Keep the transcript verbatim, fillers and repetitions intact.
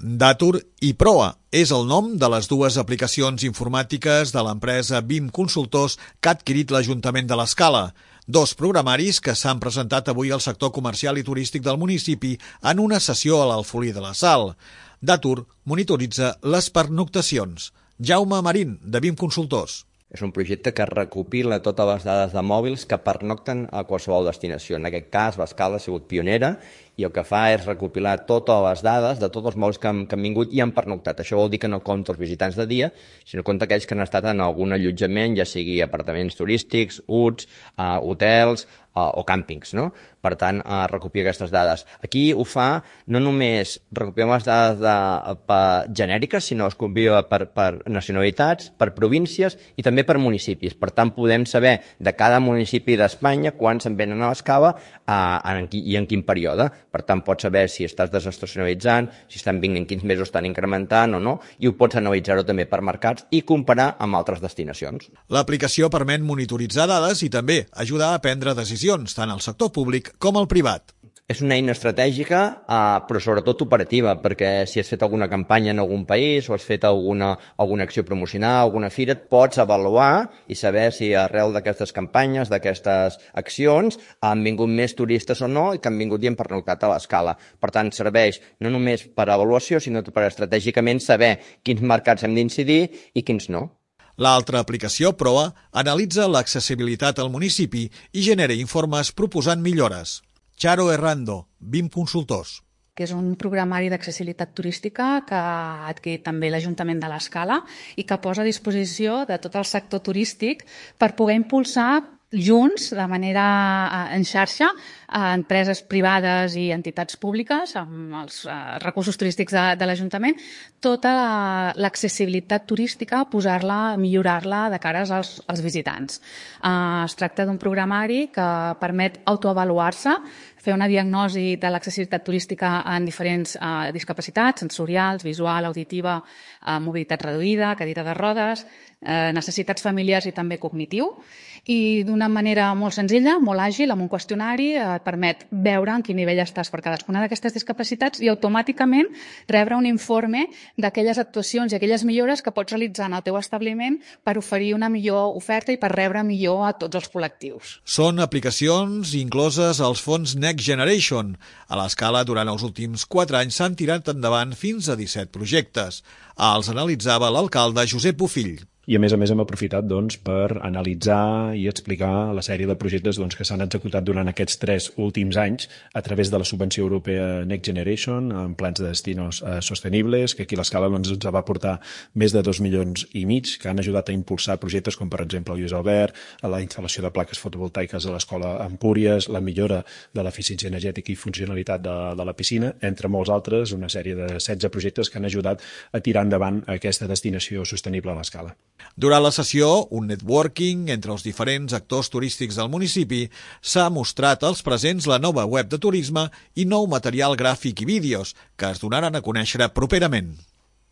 Datur i Proa és el nom de les dues aplicacions informàtiques de l'empresa V I M Consultors que ha adquirit l'Ajuntament de l'Escala. Dos programaris que s'han presentat avui al sector comercial i turístic del municipi en una sessió a l'Alfolí de la Sal. Datur monitoritza les pernoctacions. Jaume Marín, de V I M Consultors. És un projecte que recopila totes les dades de mòbils que pernocten a qualsevol destinació. En aquest cas, l'Escala ha sigut pionera i el que fa és recopilar totes les dades de tots els mòbils que han, que han vingut i han pernoctat. Això vol dir que no compta els visitants de dia, sinó compta aquells que han estat en algun allotjament, ja sigui apartaments turístics, U Ts, uh, hotels uh, o càmpings, no? Per tant, uh, recopilar aquestes dades. Aquí ho fa no només recopilar les dades de, per genèriques, sinó es compila per, per nacionalitats, per províncies i també per municipis. Per tant, podem saber de cada municipi d'Espanya quan se'n venen a l'Escala uh, en, i en quin període. Per tant, pots saber si estàs desestacionalitzant, si estan vinguent, en quins mesos estan incrementant o no, i ho pots analitzar-ho també per mercats i comparar amb altres destinacions. L'aplicació permet monitoritzar dades i també ajudar a prendre decisions, tant al sector públic com al privat. És una eina estratègica, eh, però sobretot operativa, perquè si has fet alguna campanya en algun país o has fet alguna, alguna acció promocional, alguna fira, et pots avaluar i saber si arrel d'aquestes campanyes, d'aquestes accions, han vingut més turistes o no i que han vingut i han pernoctat a l'Escala. Per tant, serveix no només per avaluació, sinó per estratègicament saber quins mercats hem d'incidir i quins no. L'altra aplicació, Proa, analitza l'accessibilitat al municipi i genera informes proposant millores. Charo Errando, V I M Consultors. Que és un programari d'accessibilitat turística que ha adquirit també l'Ajuntament de l'Escala i que posa a disposició de tot el sector turístic per poder impulsar junts, de manera en xarxa, a empreses privades i entitats públiques, amb els recursos turístics de, de l'Ajuntament, tota l'accessibilitat turística, posar-la, millorar-la de cares als, als visitants. Uh, es tracta d'un programari que permet autoavaluar-se, fer una diagnosi de l'accessibilitat turística en diferents uh, discapacitats, sensorials, visual, auditiva, uh, mobilitat reduïda, cadira de rodes, uh, necessitats familiars i també cognitiu, i d'una manera molt senzilla, molt àgil, amb un qüestionari, eh, et permet veure en quin nivell estàs per cadascuna d'aquestes discapacitats i automàticament rebre un informe d'aquelles actuacions i aquelles millores que pots realitzar en el teu establiment per oferir una millor oferta i per rebre millor a tots els col·lectius. Són aplicacions incloses als fons Next Generation. A l'Escala, durant els últims quatre anys, s'han tirat endavant fins a disset projectes. Els analitzava l'alcalde Josep Bofill. I a més a més hem aprofitat doncs, per analitzar i explicar la sèrie de projectes doncs, que s'han executat durant aquests tres últims anys a través de la subvenció europea Next Generation, en plans de destinos eh, sostenibles, que aquí l'Escala doncs, ens va portar més de dos milions i mig, que han ajudat a impulsar projectes com per exemple el Lluís Albert, la instal·lació de plaques fotovoltaiques a l'Escola Empúries, la millora de l'eficiència energètica i funcionalitat de, de la piscina, entre molts altres, una sèrie de setze projectes que han ajudat a tirar endavant aquesta destinació sostenible a l'Escala. Durant la sessió, un networking entre els diferents actors turístics del municipi, s'ha mostrat als presents la nova web de turisme i nou material gràfic i vídeos que es donaran a conèixer properament.